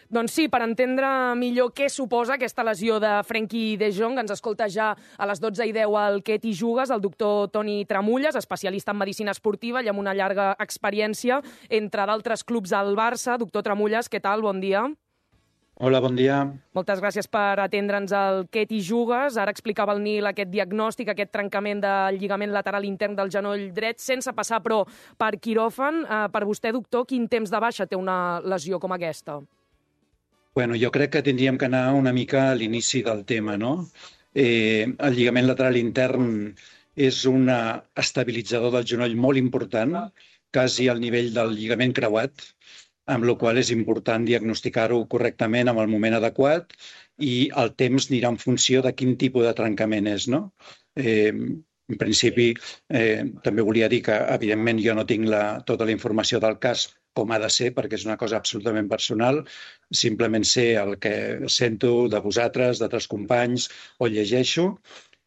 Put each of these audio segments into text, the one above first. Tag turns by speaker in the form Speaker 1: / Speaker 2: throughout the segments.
Speaker 1: Doncs sí, per entendre millor què suposa aquesta lesió de Frenkie de Jong, ens escolta ja a les 12:10 al Què t'hi jugues, el doctor Toni Tramulles, especialista en medicina esportiva i amb una llarga experiència, entre d'altres clubs al Barça. Doctor Tramulles, què tal? Bon dia.
Speaker 2: Hola, bon dia.
Speaker 1: Moltes gràcies per atendre'ns al Què t'hi jugues. Ara explicava el Nil aquest diagnòstic, aquest trencament del lligament lateral intern del genoll dret, sense passar, però, per quiròfan. Per vostè, doctor, quin temps de baixa té una lesió com aquesta?
Speaker 2: Bueno, jo crec que tindríem que anar una mica a l'inici del tema, no? El lligament lateral intern és un estabilitzador del genoll molt important, quasi al nivell del lligament creuat, amb la qual és important diagnosticar-ho correctament en el moment adequat i el temps anirà en funció de quin tipus de trencament és, no? En principi, també volia dir que, evidentment, jo no tinc tota la informació del cas com ha de ser, perquè és una cosa absolutament personal. Simplement sé el que sento de vosaltres, d'altres companys, o llegeixo.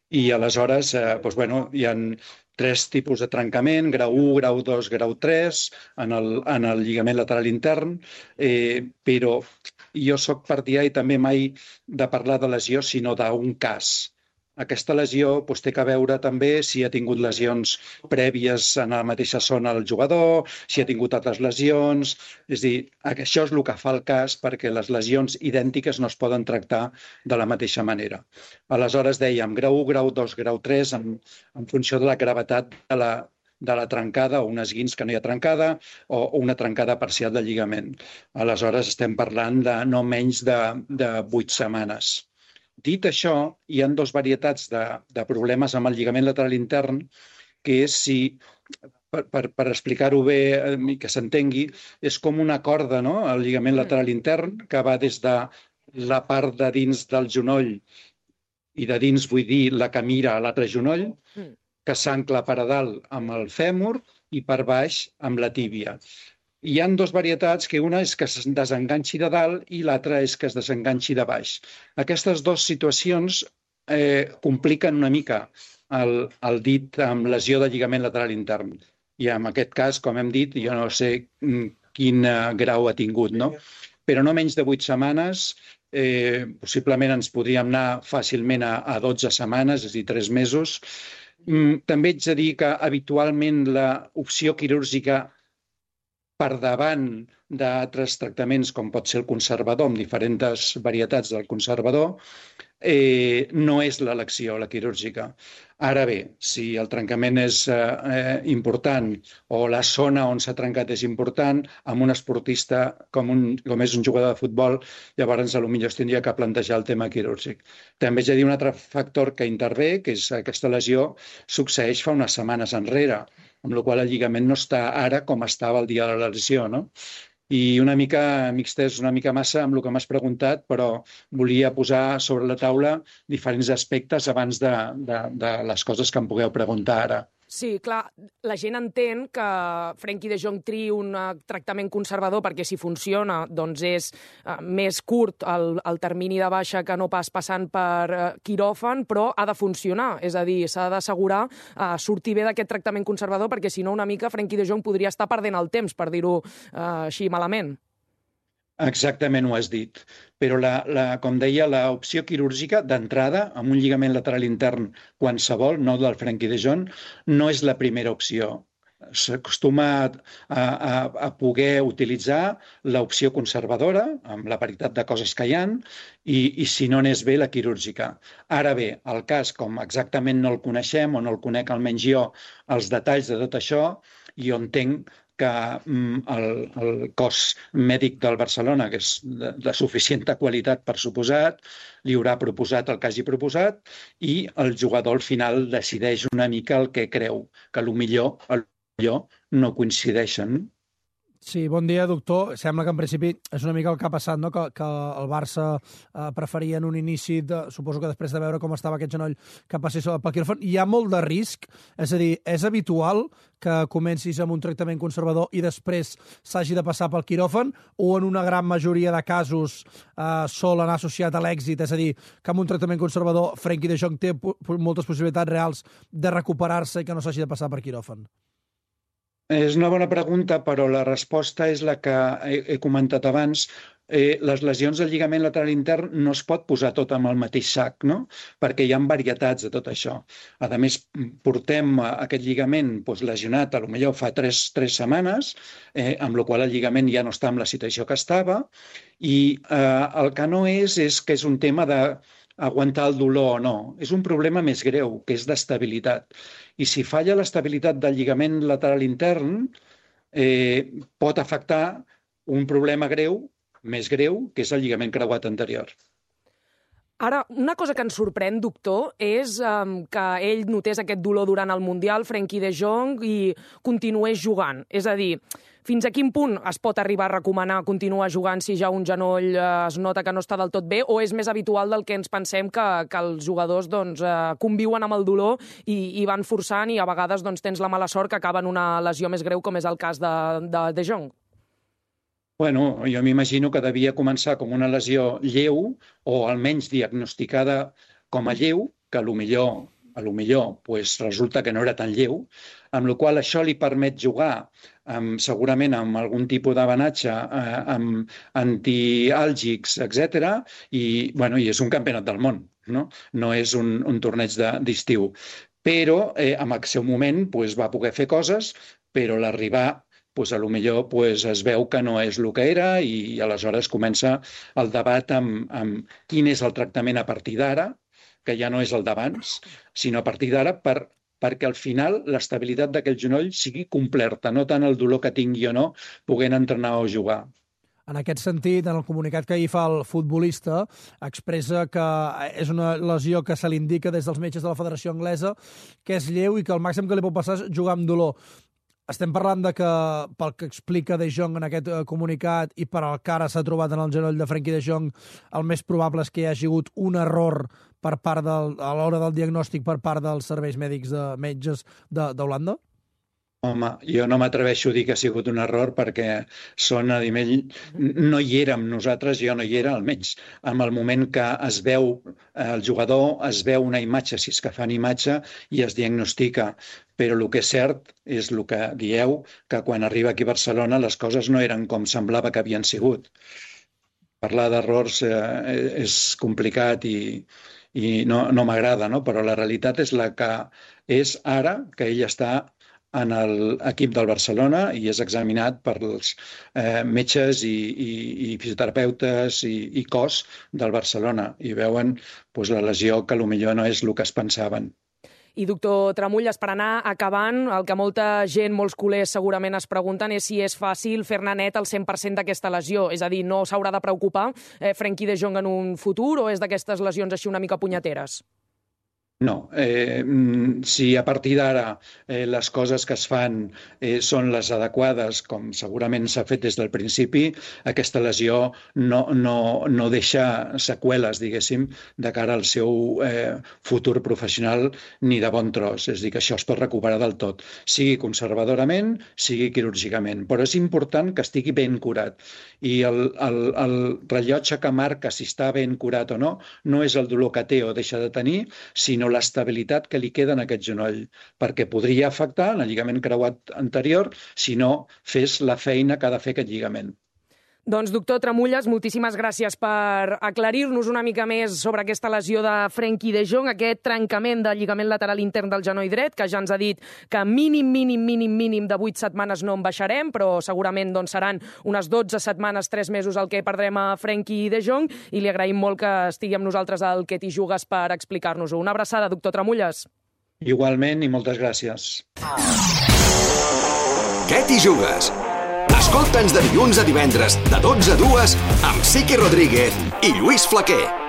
Speaker 2: I aleshores, hi ha 3 tipus de trencament, grau 1, grau 2, grau 3, en el lligament lateral intern, però jo sóc partidari també mai de parlar de lesió, sinó d'un cas. Aquesta lesió té que veure també si ha tingut lesions prèvies en la mateixa zona el jugador, si ha tingut altres lesions. És a dir, això és el que fa el cas, perquè les lesions idèntiques no es poden tractar de la mateixa manera. Aleshores dèiem grau 1, grau 2, grau 3, en funció de la gravetat de la trencada, o un esguins que no hi ha trencada, o una trencada parcial del lligament. Aleshores estem parlant de no menys de 8 setmanes. Dit això, hi ha 2 varietats de problemes amb el lligament lateral intern, que és si, per explicar-ho bé i que s'entengui, és com una corda, no?, el lligament lateral intern, que va des de la part de dins del genoll, i de dins vull dir la que mira a l'altre genoll, que s'ancla per a dalt amb el fèmur i per baix amb la tíbia. Hi ha 2 varietats, que una és que es desenganxi de dalt i l'altra és que es desenganxi de baix. Aquestes 2 situacions compliquen una mica el dit amb lesió de lligament lateral intern. I en aquest cas, com hem dit, jo no sé quin grau ha tingut, no? Però no menys de 8 setmanes, possiblement ens podríem anar fàcilment a 12 setmanes, és a dir, 3 mesos. També haig de dir que habitualment l'opció quirúrgica per davant d'altres tractaments, com pot ser el conservador, amb diferents varietats del conservador, no és l'elecció, la quirúrgica. Ara bé, si el trencament és important o la zona on s'ha trencat és important, amb un esportista com és un jugador de futbol, llavors potser es tindria que plantejar el tema quirúrgic. També haig de dir un altre factor que intervé, que és aquesta lesió succeeix fa unes setmanes enrere, amb la qual el lligament no està ara com estava el dia de la lesió, no? I una mica m'extès una mica massa amb el que m'has preguntat, però volia posar sobre la taula diferents aspectes abans de les coses que em pugueu preguntar ara.
Speaker 1: Sí, clar, la gent entén que Frenkie de Jong triï un tractament conservador perquè si funciona doncs és més curt el termini de baixa que no pas passant per quiròfan, però ha de funcionar, és a dir, s'ha d'assegurar sortir bé d'aquest tractament conservador perquè si no una mica Frenkie de Jong podria estar perdent el temps, per dir-ho així malament.
Speaker 2: Exactament ho has dit, però com deia, l'opció quirúrgica d'entrada amb un lligament lateral intern qualsevol, no del Frenkie de Jong, no és la primera opció. S'acostuma a poder utilitzar l'opció conservadora, amb la varietat de coses que hi ha, i si no n'és bé, la quirúrgica. Ara bé, el cas, com exactament no el coneixem, o no el conec almenys jo, els detalls de tot això, jo entenc que el cos mèdic del Barcelona, que és de suficient qualitat per suposat, li haurà proposat el que hagi proposat i el jugador al final decideix una mica el que creu, que potser no coincideixen.
Speaker 3: Sí, bon dia, doctor. Sembla que en principi és una mica el que ha passat, no? Que el Barça preferia en un inici, suposo que després de veure com estava aquest genoll, que passés pel quiròfan. Hi ha molt de risc? És a dir, és habitual que comencis amb un tractament conservador i després s'hagi de passar pel quiròfan o en una gran majoria de casos sol anar associat a l'èxit? És a dir, que amb un tractament conservador Frenkie de Jong té moltes possibilitats reals de recuperar-se i que no s'hagi de passar per quiròfan?
Speaker 2: És una bona pregunta, però la resposta és la que he comentat abans. les lesions del lligament lateral intern no es pot posar tot amb el mateix sac, no? Perquè hi ha varietats de tot això. A més, portem aquest lligament lesionat, potser fa 3 setmanes, amb la qual el lligament ja no està en la situació que estava, i el que no és que és un tema d'aguantar el dolor o no. És un problema més greu, que és d'estabilitat. I si falla l'estabilitat del lligament lateral intern, pot afectar un problema greu, més greu, que és el lligament creuat anterior.
Speaker 1: Ara, una cosa que ens sorprèn, doctor, és que ell notés aquest dolor durant el Mundial, Frenkie de Jong, i continués jugant. És a dir, fins a quin punt es pot arribar a recomanar continuar jugant si ja un genoll es nota que no està del tot bé, o és més habitual del que ens pensem que els jugadors conviuen amb el dolor i van forçant i a vegades tens la mala sort que acaba en una lesió més greu, com és el cas de Jong?
Speaker 2: Bueno, jo m'imagino que devia començar com una lesió lleu o almenys diagnosticada com a lleu, que potser resulta que no era tan lleu, amb la qual això li permet jugar segurament amb algun tipus d'avanatge, amb antiàlgics, etc. I és un campionat del món, no és un torneig d'estiu. Però en el seu moment va poder fer coses, però l'arribar potser es veu que no és el que era i aleshores comença el debat amb quin és el tractament a partir d'ara, que ja no és el d'abans, sinó a partir d'ara perquè al final l'estabilitat d'aquell genoll sigui completa, no tant el dolor que tingui o no, podent entrenar o jugar.
Speaker 3: En aquest sentit, en el comunicat que ahir fa el futbolista, expressa que és una lesió que se li indica des dels metges de la Federació Anglesa, que és lleu i que el màxim que li pot passar és jugar amb dolor. Estem parlant de que, pel que explica De Jong en aquest comunicat i per al que ara s'ha trobat en el genoll de Frenkie de Jong, el més probable és que hi hagi hagut un error a l'hora del diagnòstic per part dels serveis mèdics de metges d'Holanda?
Speaker 2: Home, jo no m'atreveixo a dir que ha sigut un error perquè no hi érem nosaltres, jo no hi era almenys. En el moment que es veu el jugador, es veu una imatge, si és que fan imatge, i es diagnostica. Però el que és cert és el que dieu, que quan arriba aquí a Barcelona les coses no eren com semblava que havien sigut. Parlar d'errors és complicat i no m'agrada, no? Però la realitat és la que és ara, que ell està en l'equip del Barcelona i és examinat per els metges i fisioterapeutes i cos del Barcelona i veuen la lesió que potser no és el que es pensaven.
Speaker 1: I, doctor Tramulles, per anar acabant, el que molta gent, molts culers segurament es pregunten és si és fàcil fer-ne net el 100% d'aquesta lesió. És a dir, no s'haurà de preocupar Frenkie de Jong en un futur o és d'aquestes lesions així una mica punyeteres?
Speaker 2: No, si a partir d'ara les coses que es fan són les adequades, com segurament s'ha fet des del principi, aquesta lesió no deixa seqüeles, diguéssim, de cara al seu futur professional ni de bon tros. És a dir, que això es pot recuperar del tot, sigui conservadorament, sigui quirúrgicament. Però és important que estigui ben curat. I el rellotge que marca si està ben curat o no, no és el dolor que té o deixa de tenir, sinó l'estabilitat que li queda en aquest genoll, perquè podria afectar en el lligament creuat anterior si no fes la feina que ha de fer aquest lligament.
Speaker 1: Doncs, doctor Tramulles, moltíssimes gràcies per aclarir-nos una mica més sobre aquesta lesió de Frenkie de Jong, aquest trencament del lligament lateral intern del genoll dret, que ja ens ha dit que mínim de 8 setmanes no en baixarem, però segurament seran unes 12 setmanes, 3 mesos el que perdrem a Frenkie de Jong, i li agraïm molt que estigui amb nosaltres al Que t'hi jugues per explicar-nos-ho. Una abraçada, doctor Tramulles.
Speaker 2: Igualment, i moltes gràcies.
Speaker 4: Que t'hi jugues? Escolta'ns de dilluns a divendres, de 12 a 2, amb Siqui Rodríguez i Lluís Flaquer.